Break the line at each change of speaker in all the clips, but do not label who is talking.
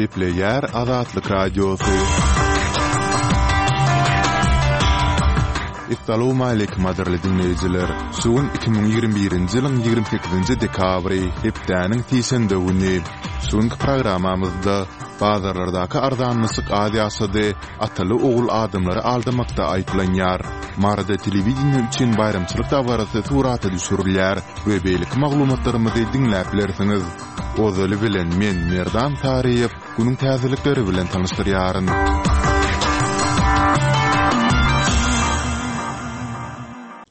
Gepleýär Azatlyk Radiosy. Essalawmaleýkim gadyrly diňleýjiler! Şu gün 2021-nji ýylyň 28-nji dekabry, hepdäniň sişenbe güni. Şu günki programmamyzda bazarlardaky arzanlaşyk az ýaşady, ataly-ogul adamlary aldamakda aýyplanýar. Maryda telewideniýe üçin baýramçylyk dabarasy surata düşürilýär we beýleki maglumatlarymyzy diňläp bilersiňiz. Ozaly bilen men Merdan Saryýew günüň täzelikleri bilen tanyşdyrýaryn.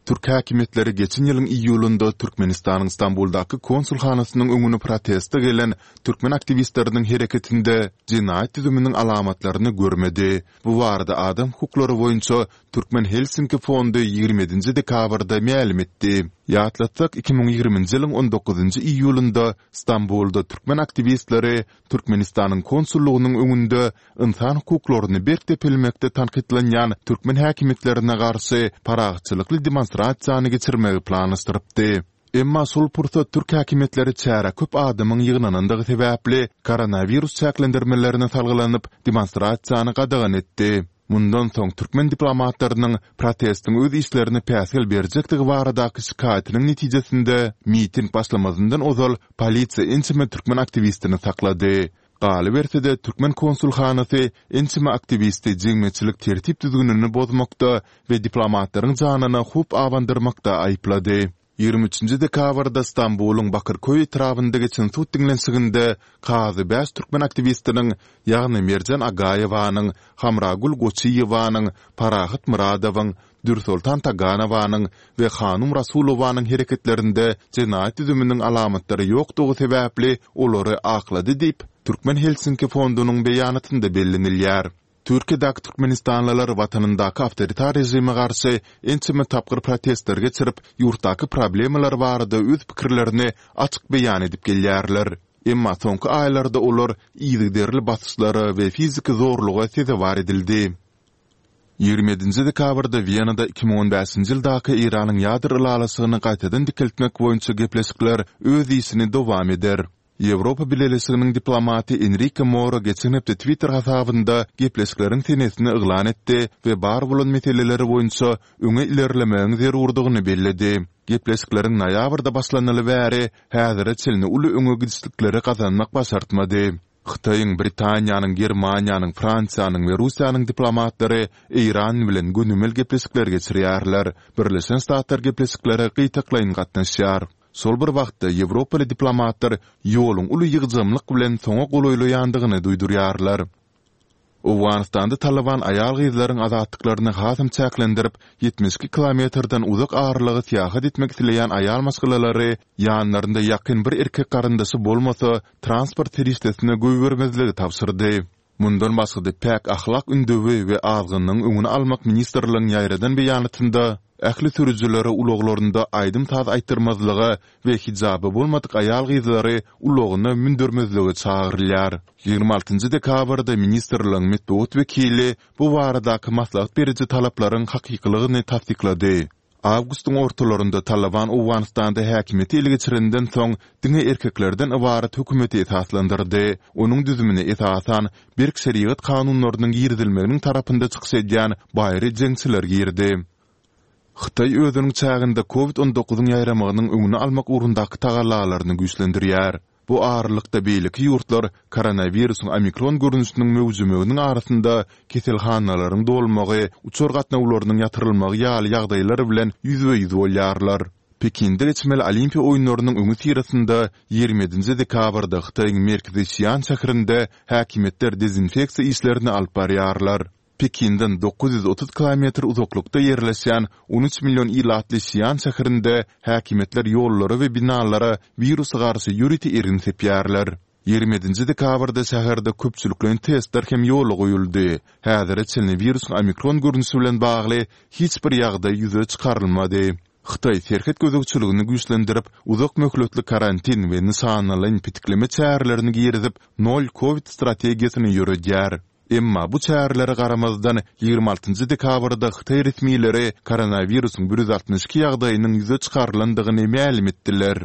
Türk häkimiýetleri geçen ýylyň iýulynda Türkmenistanyň Stambuldaky konsulhanasynyň öňüne proteste gelen türkmen aktiwistleriniň hereketinde jenaýat düzüminiň alamatlaryny görmedi. Bu barada adam hukuklary boýunça Türkmen Helsinki fondy 27-nji dekabrda mälim etdi. Ýatlatsak, 2020-nji ýylyň on dokuzynjy iýulynda Stambulda türkmen aktiwistleri Türkmenistanyň konsullygynyň öňünde ynsan hukuklaryny berk depelmekde tankytlanýan türkmen häkimiýetlerine garşy parahatçylykly demonstrasiýany geçirmegi planlaşdyrypdy. Emma şol pursat türk häkimiýetleri çärä köp adamyň ýygnanandygy sebäpli koronawirus çäklendirmelerine salgylanyp, demonstrasiýany gadagan etdi. Mundan soň türkmen diplomatlarynyň protestiň öz işlerine päsgel berjekdigi baradaky şikaýatynyň netijesinde, miting başlamazyndan ozal polisiýa ençeme türkmen aktiwistini saklady. Galyberse-de, türkmen konsulhanasy ençeme aktiwisti jemgyýetçilik tertip-düzgünini bozmakda we diplomatlaryň janyna howp abandyrmakda aýyplady. 23 nji dekabrda Stambulyň Bakyrköý etrabynda geçen sud diňlenişiginde kazy bäş türkmen aktiwistiniň, ýagny Merjen Agaýewanyň, Hamragül Goçyýewanyň, Parahat Myradowyň, Dürsoltan Taganowanyň we Hanum Rasulowanyň hereketlerinde jenaýat düzüminiň alamatlary ýokdugy sebäpli olary aklady diýip, Türkmen Helsinki fondunyň beýanatynda bellenilýär. Türkiýedäki türkmenistanlylar watanyndaky awtoritar režime garşy ençeme tapgyr protestler geçirip, ýurtdaky problemalar barada öz pikirlerini açyk beýan edip gelýärler. Emma soňky aýlarda olar yzygiderli basyşlara we fiziki zorluga sezewar edildi. 27-nji dekabrda Wenada 2015-nji ýyldaky Eýranyň ýadro ylalaşygyny gaýtadan dikeltmek boýunça gepleşikler öz işini dowam eder. Ýewropa Bileleşiginiň diplomaty Enrike Moro geçen hepde Twitter hasabynda gepleşikleriň senesini yglan etdi we bar bolan meseleler boýunça öňe ilerlemegiň zerurdygyny belledi. Gepleşikleriň noýabrda başlanaly bäri häzire çenli uly öňe gidişlikleri gazanmak başartmady. Hytaýyň, Britaniýanyň, Germaniýanyň, Fransiýanyň we Russiýanyň diplomatlary Eýran bilen gönümel gepleşikler geçirýärler. Birleşen Ştatlar gepleşiklere gytaklaýyn gatnaşýar. Şol bir wagtda, ýewropaly diplomatlar ýoluň uly ýygjamlyk bilen soňa golaýlaýandygyny duýdurýarlar. Owganystanda Talyban aýal-gyzlaryň azatlyklaryny hasam çäklendirip, 72 kilometrden uzak aralyga syýahat etmek isleýän aýal maşgalalary ýanlarynda ýakyn bir erkek garyndaşy bolmasa, transport serişdesine goýbermezligi tabşyrdy. Mundan başga-da Päk ahlak ündewi we azgynlygyň öňüni almak ministrligiň ýaýradan beýanatynda ähli sürüjilere ulaglarynda aýdym-saz aýtdyrmazlyga we hijaby bolmadyk aýal-gyzlary ulagyna mündürmezlige çagyrylýar. 26 njy dekabrda ministrligiň metbugat wekili bu baradaky maslahat beriji talaplaryň hakykylygyny tassyklady. Awgustyň ortalarynda Talyban Owganystanda häkimiýeti ele geçirenden soň, diňe erkeklerden ybarat hökümeti esaslandyrdy. Onuň düzümine esasan, berk şerigat kanunlarynyň girizilmeginiň tarapynda çykyş edýän baýry jeňçiler girdi. Hytaý özüniň çäginde Covid 19 yň ýaýramagynyň öňüni almak ugrundaky tagallalaryny güýçlendirýär. Bu aralykda beýleki ýurtlar koronawirusyň omikron görnüşiniň möwjemeginiň arasynda keselhanalaryň dolmagy, uçar gatnawlarynyň ýatyrylmagy ýaly ýagdaýlar bilen ýüzbe-ýüz bolýarlar. Pekinde geçmeli Olimpiýa oýunlarynyň öňüsyrasynda 27-nji dekabrda Hytaýyň merkezi Şian şäherinde häkimiýetler dezinfeksiýa işlerini alyp barýarlar. Pekinden 930 kilometr uzaklykda ýerleşýän 13 million ilatly Şian şäherinde häkimiýetler ýollara we binalara wirusa garşy ýörite ergin sepýärler. 27-nji dekabrda şäherde köpçülikleýin testler hem ýola goýuldy. Häzire çenli wirusyň omikron görnüşi bilen bagly hiç bir ýagdaý ýüze çykarylmady. Hytaý serhet gözegçiligini güýçlendirip, uzak möhletli karantin we nyşanalaýyn petikleme çärelerini girizip, nol kowid strategiýasyny ýöredýär. Emma bu çärelere garamazdan, 26 njy dekabrda hytaý resmileri koronawirusyň 162 ýagdaýynyň ýüze çykarylandygyny mälim etdiler.